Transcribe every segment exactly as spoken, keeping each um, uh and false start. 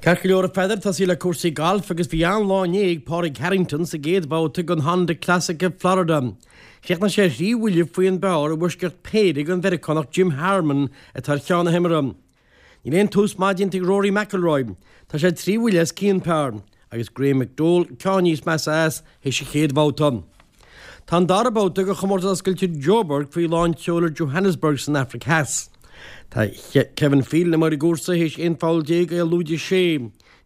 Ceart go leor a Pheadair, tosaí le cúrsaí gailf agus bhí an-lá inné ag Pádraig Harrington sa gcéad bhabhta den Honda Classic i Florida. Chríochnaigh sé thrí bhuille faoin bpar i bhfoisceacht péire den Mheiriceánach Jim Harmon atá ar cheann na himeartha. Níl aon tús maith déanta ag Rory McIlroy. Tá sé trí bhuille os cionn par agus Graham McDowell ceann níos measa as théis an chéad bhabhta. Tá an dara babhta de chomórtas oscailte Joburg faoi lán tseoil i Johannesburg san Afraic Theas. Tá Kevin Phelan amuigh ar an gcúrsa théis aon pholl déag é lúide sé.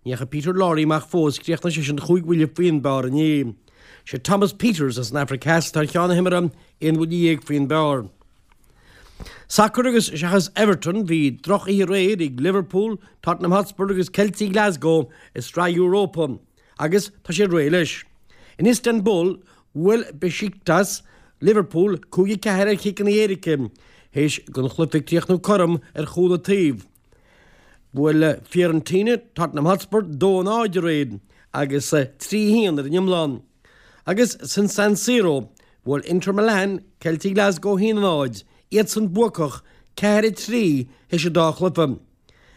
Ní dheachaigh Peter Lawrie amach fós chríochnaigh seisean chúig bhuille faoin bpar inné. Sé Thomas Pieters as an Afraic Theas atá ar cheann na himeartha aon bhuille dhéag faoin bpar. Sacar agus seachas Everton bhí drochoíche aréir ag Liverpool, Tottenham Hotspur agus Celtic Glasgow i Sraith Europa agus tá sé réidh leis. In Istanbul bhuail Besiktas Liverpool cúig a ceathair ar chiceanna éirice, théis don chluiche críochnú cothrom ar chúl an taobh. Bhuail Fiorentina Tottenham Hotspur dó a náid aréir agus trí haon ar an iomlán. Agus san San Siro bhuail Inter Milan Celtic Glasgow haon a náid, iadsan buacach ceathair a trí théis an dá chluiche.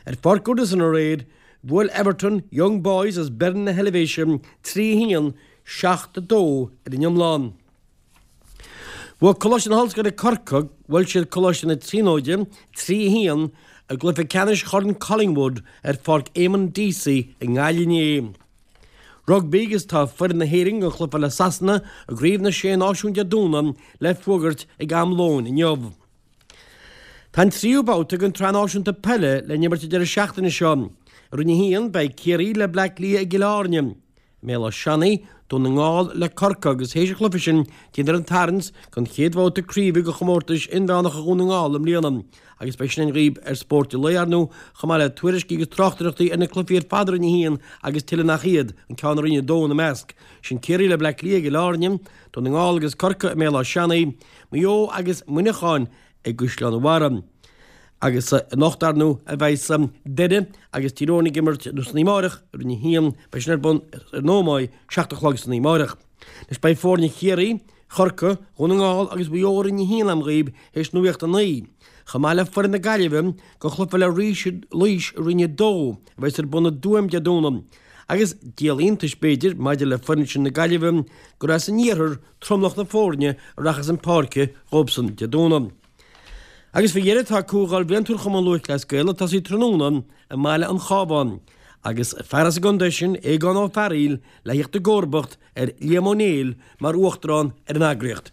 Ar Pháirc Goodison aréir bhuail Everton Young Boys as Bern na hEilvéise trí haon seacht a dó ar an iomlán. Bhuaigh Coláiste na hOllscoile Corcaigh bhuail siad Coláiste na Tríonóide trí haon i gcluiche ceannais Chorn Collingwood ar Pháirc Eamon Deasy i nGaillimh inné. Rugbaí agus tá foireann na hÉireann don chluiche le Sasana i gCraobh na Sé Náisiún Dé Domhnaigh le fógairt ag am lóin inniu. Tá an tríú babhta den tSraith Náisiúnta Peile le n-imirt an deireadh seachtaine seo. I Roinn a haon beidh Ciarraí le Bleá Cliath i gCill Airne. I mBéal Átha Seanaidh, Dún na nGall le Corcaigh agus théis an chluiche sin déanfar an tarraingt don chéad bhabhta craoibhe de chomórtais inmheánacha Dhún na nGall i mbliana agus beidh sin againn dhaoibh ar Spórt an Lae, ar ndóigh, chomh maith le tuairiscí agus tráchtaireachtaí ar na cluichí ar fad i Roinn a haon agus tuilleadh nach iad, an ceann i Roinn a dó ina measc. Sin Ciarraí le Bleá Cliath i gCill Airne, Dún na nGall agus Corcaigh i mBéal Átha Seanaidh, Maigh Eo agus Muineachán i gCaisleán an Bharraigh. Agus anocht, ar ndóigh, a bheidh Doire agus Tír Eoghain ag imirt nó san oíche amárach i Roinn a haon, beidh sin ar bun ar an Ómaigh, seacht a chlog san oíche amárach. Anois beidh foirne Chiarraí, Chorcaí, Dhún na nGall agus Mhaigh Eo i Roinn a haon agam dhaoibh théis nuacht a naoi, chomh maith le foireann na Gaillimhe don chluiche le Laois i Roinn a dó a bheas ar bun i dTuaim Dé Domhnaigh. Agus díol iontais b'fhéidir maidir le foireann sin na Gaillimhe gur as an iarthar tromlach na foirne a rachas chun páirce dhóibhsan Dé Domhnaigh. Agus faoi dheireadh tá Comhdháil Bhliantúil Chumann Lúthchleas Gael ag tosaí tráthnóna i mBaile an Chabháin agus fear as an gcontae sin, Aogán Ó Fearaíl, le theacht i gcomharbacht ar Liam Ó Néill mar Uachtarán ar an eagraíocht.